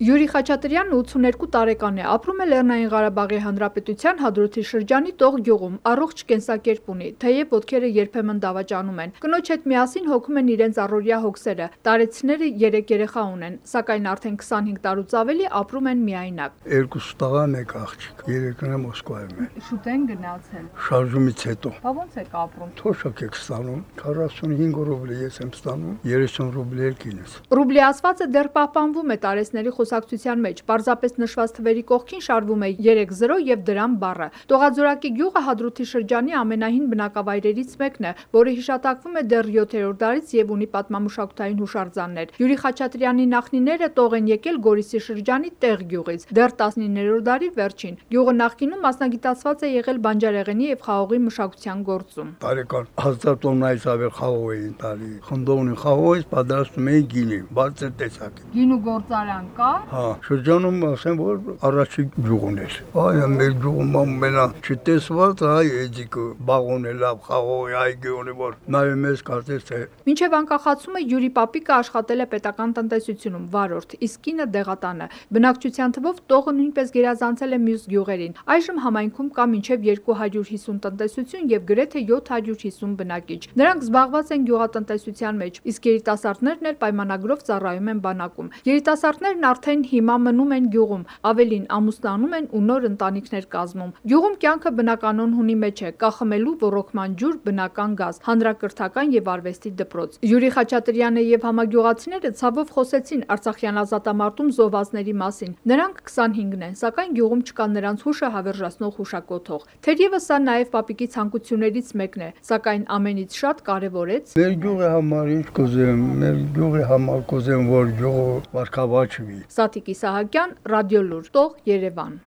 Յուրի Խաչատրյանն 82 տարեկան է, ապրում է Լեռնային Ղարաբաղի Հանրապետության Հադրութի շրջանի Տող գյուղում, առողջ կենսակերպ ունի, թեև ոտքերը երբեմն դավաճանում են։ Կնոջ հետ միասին հոգում են իրենց առօրյա հոգսերը, տարեցիները 3 երեխա ունեն, սակայն արդեն 25 տարուց ավելի ապրում են միայնակ։ 2 տղա, 1 աղջիկ, երեքն Մոսկվայում են։ Շուտ են գնացել։ Շարժումից հետո։ Բա ոնց եք ապրում։ Թոշակ եք ստանում, 45 ռուբլի ես եմ ստանում, 30 ռուբլի էլ կինս։ Ռուբլի ասվածը դեռ պահպանվում է տարեցների խոսակցության մեջ, պարզապես նշված թվերի կողքին շարվում է 3-0 եւ դրամ բառը։ Տողաձորակի գյուղը Հադրութի շրջանի ամենահին բնակավայրերից մեկն է, որը հիշատակվում է դեռ 7-րդ դարից եւ ունի պատմամշակութային հուշարձաններ։ Յուրի Խաչատրյանի նախնիները Տող են եկել Գորիսի շրջանի Տեղ գյուղից, դեռ 19-րդ դարի վերջին։ Գյուղը նախկինում մասնագիտացված է եղել բանջարեղենի եւ խաղողի մշակության գործում։ Տարեկան 1000 տոննայից ավել խաղող էին տալի։ Խնդովնի խաղողից պատրաստում էին գինի, բարձր տեսակի։ Գինու գործարան կա։ Հա, շրջանում ասեմ, որ առաջին գյուղն էր։ Այ մեր գյուղում ամենա չտեսված այ էջիկը բաղոն է լավ խաղողի այգիոնի, որ նայում ես կարծես թե։ Մինչև անկախացումը Յուրի պապիկը աշխատել է պետական տնտեսությունում, վարորդ, իսկ կինը դեղատանը։ Բնակչության թվով Տողը նույնպես գերազանցել է մյուս գյուղերին։ Այժմ համայնքում կա մինչև 250 տնտեսություն եւ գրեթե 750 բնակիչ։ Նրանք զբաղված են գյուղատնտեսության մեջ, իսկ երիտասարդներն էլ պայմանագրով ծառայում են բանակում։ Երիտասարդներն արդեն հիմա մնում են գյուղում, ավելին ամուսնանում են ու նոր ընտանիքներ կազմում։ Գյուղում կյանքը բնականon հունի մեջ է, կա խմելու, ոռոգման ջուր, բնական գազ, հանրակրթական եւ արվեստի դպրոց։ Յուրի Խաչատրյանը եւ համագյուղացիները ցավով խոսեցին Արցախյան ազատամարտում զոհվածների մասին։ Նրանք 25-ն են, սակայն գյուղում չկա նրանց հուշը հավերժացնող հուշակոթող։ Թերևս սա նաեւ պապիկի ցանկություններից մեկն է, սակայն ամենից շատ կարեւորեց Մեր գյուղի համար ինչ կուզեմ, մեր գյուղի համար կուզեմ, որ գյուղը վարքավաճվի։ Սաթիկ Իսահակյան, Ռադիոլուր, Տող, Երևան։